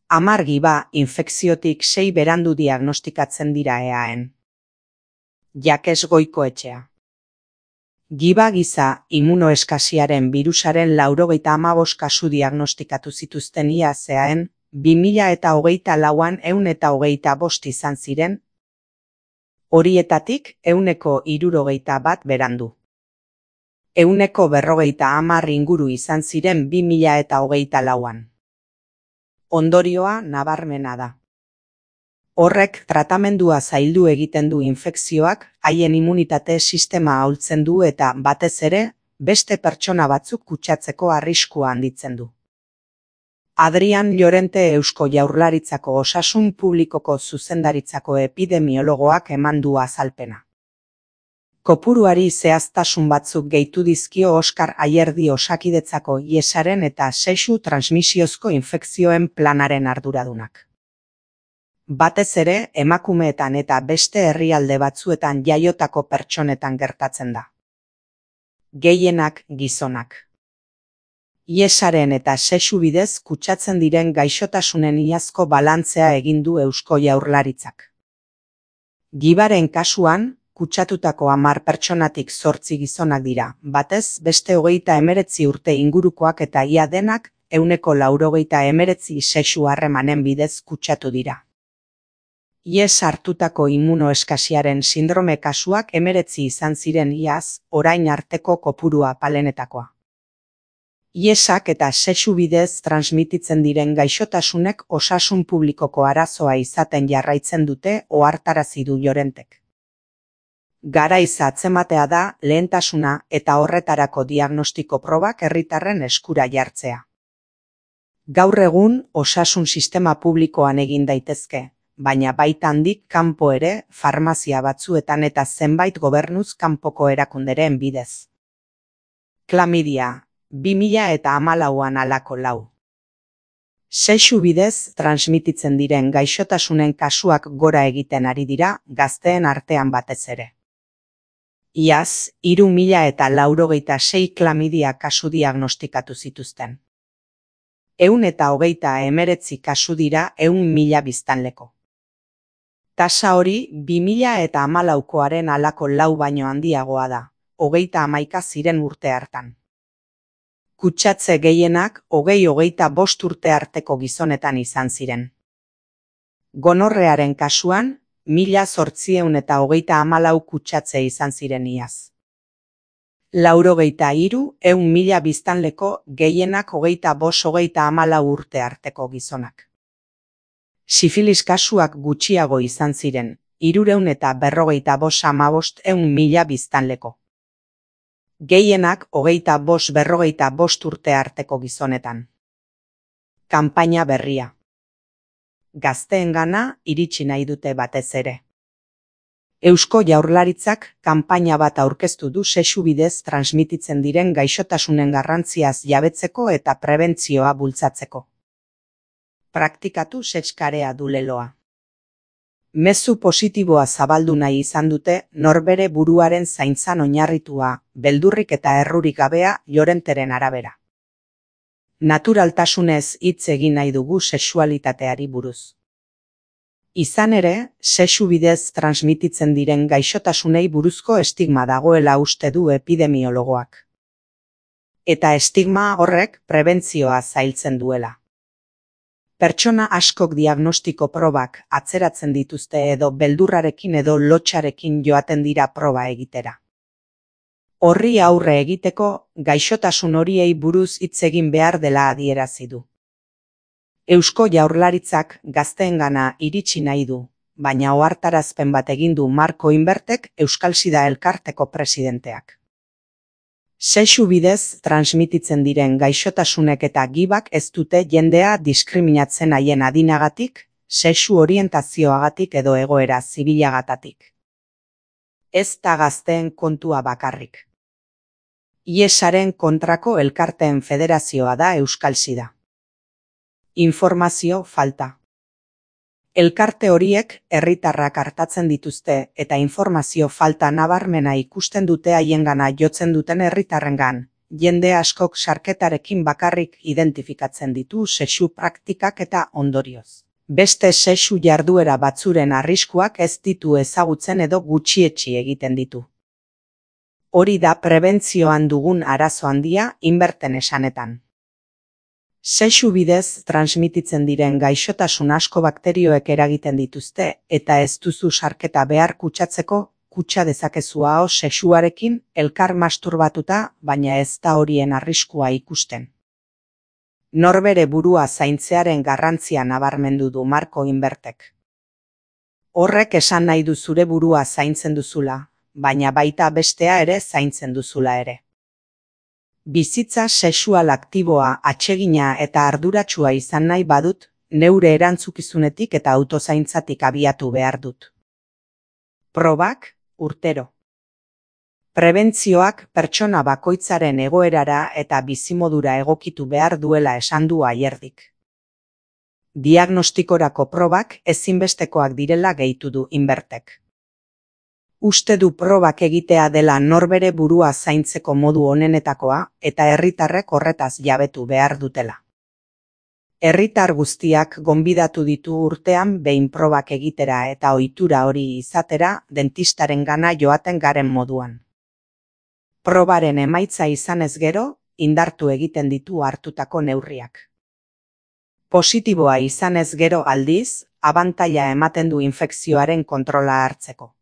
10 giba infekziotik 6 berandu diagnostikatzen dira eaen. Jakes Goikoetxea. Giba giza immunoeskasiaren birusaren 95 kasu diagnostikatu zituzten iaz eaen, 2024an 125 izan ziren, horietatik 161 berandu. 150 inguru izan ziren 2024an. Ondorioa nabarmena da. Horrek tratamendua zaildu egiten du infekzioak, haien immunitate sistema ahultzen du eta, batez ere, beste pertsona batzuk kutsatzeko arriskua handitzen du. Adrian Llorente Eusko Jaurlaritzako Osasun Publikoko Zuzendaritzako epidemiologoak eman du azalpena. Kopuruari zehaztasun batzuk gehitu dizkio Oskar Ayerdi Osakidetzako IESaren eta sexu transmisiozko infekzioen planaren arduradunak. Batez ere, emakumeetan eta beste herrialde batzuetan jaiotako pertsonetan gertatzen da. Gehienak gizonak. IESaren eta sexu bidez kutsatzen diren gaixotasunen iazko balantzea egin du Eusko Jaurlaritzak. Gibaren kasuan, kutsatutako 10 pertsonatik 8 gizonak dira, batez beste 39 urte ingurukoak eta ia denak 189 sexu harremanen bidez kutsatu dira. IES hartutako immunoeskasiaren sindrome kasuak 19 izan ziren iaz, orain arteko kopurua palenetakoa. IESak eta sexu bidez transmititzen diren gaixotasunek osasun publikoko arazoa izaten jarraitzen dute ohartarazi du Llorentek. Garaiz atzematea da lehentasuna eta horretarako diagnostiko probak herritarren eskura jartzea. Gaur egun osasun sistema publikoan egin daitezke, baina baita handik kanpo ere, farmazia batzuetan eta zenbait gobernuz kanpoko erakunderen bidez. Klamidia, 2014an alako 4. Sexu bidez transmititzen diren gaixotasunen kasuak gora egiten ari dira, gazteen artean batez ere. Iaz, 3096 klamidia kasu diagnostikatu zituzten. 129 kasu dira 100.000 biztanleko. Tasa hori 2014koaren alako 4 baino handiagoa da, 31 ziren urte hartan. Kutsatze gehienak 20-25 urte arteko gizonetan izan ziren. Gonorrearen kasuan, 1834 kutsatze izan ziren iaz. 93 biztanleko gehienak 25-34 urte arteko gizonak. Sifilis kasuak gutxiago izan ziren, 355 biztanleko. Gehienak 25-45 urte arteko gizonetan. Kanpaina berria. Gazteengana iritsi nahi dute batez ere. Eusko Jaurlaritzak kanpaina bat aurkeztu du sexu bidez transmititzen diren gaixotasunen garrantziaz jabetzeko eta prebentzioa bultzatzeko. Praktikatu sexkarea du leloa. Mezu positiboa zabaldu nahi izan dute norbere buruaren zaintzan oinarritua, beldurrik eta errurik gabea Llorenteren arabera. Naturaltasunez hitz egin nahi dugu sexualitateari buruz. Izan ere, sexu bidez transmititzen diren gaixotasunei buruzko estigma dagoela uste du epidemiologoak. Eta estigma horrek prebentzioa zailtzen duela. Pertsona askok diagnostiko probak atzeratzen dituzte edo beldurrarekin edo lotsarekin joaten dira proba egitera. Horri aurre egiteko, gaixotasun horiei buruz hitz egin behar dela adierazi du. Eusko Jaurlaritzak gazteengana iritsi nahi du, baina ohartarazpen bat egin du Marko Inbertek Euskal Sida Elkarteko presidenteak. Sexu bidez transmititzen diren gaixotasunek eta gibak ez dute jendea diskriminatzen haien adinagatik, sexu orientazioagatik edo egoera zibilagatatik. Ez da gazteen kontua bakarrik. IESaren kontrako elkarteen federazioa da Euskal Sida. Informazio falta. Elkarte horiek herritarrak artatzen dituzte eta informazio falta nabarmena ikusten dute haiengana jotzen duten herritarrengan, jende askok sarketarekin bakarrik identifikatzen ditu sexu praktikak eta ondorioz. Beste sexu jarduera batzuren arriskuak ez ditu ezagutzen edo gutxietsi egiten ditu. Hori da prebentzioan dugun arazo handia Inberten esanetan. Sexu bidez transmititzen diren gaixotasun asko bakterioek eragiten dituzte eta ez duzu sarketa behar kutsatzeko, kutsa dezakezu aho sexuarekin elkar masturbatuta, baina ez da horien arriskua ikusten. Norbere burua zaintzearen garrantzia nabarmendu du Marko Inbertek. Horrek esan nahi du zure burua zaintzen duzula, baina baita bestea ere zaintzen duzula ere. Bizitza sexual aktiboa, atsegina eta arduratsua izan nahi badut, neure erantzukizunetik eta autozaintzatik abiatu behar dut. Probak, urtero. Prebentzioak pertsona bakoitzaren egoerara eta bizimodura egokitu behar duela esan du Ayerdik. Diagnostikorako probak ezinbestekoak direla gehitu du Inbertek. Uste du probak egitea dela norbere burua zaintzeko modu onenetakoa eta herritarrek horretaz jabetu behar dutela. Herritar guztiak gonbidatu ditu urtean behin probak egitera eta ohitura hori izatera dentistarengana joaten garen moduan. Probaren emaitza izanez gero, indartu egiten ditu hartutako neurriak. Positiboa izanez gero aldiz, abantaila ematen du infekzioaren kontrola hartzeko.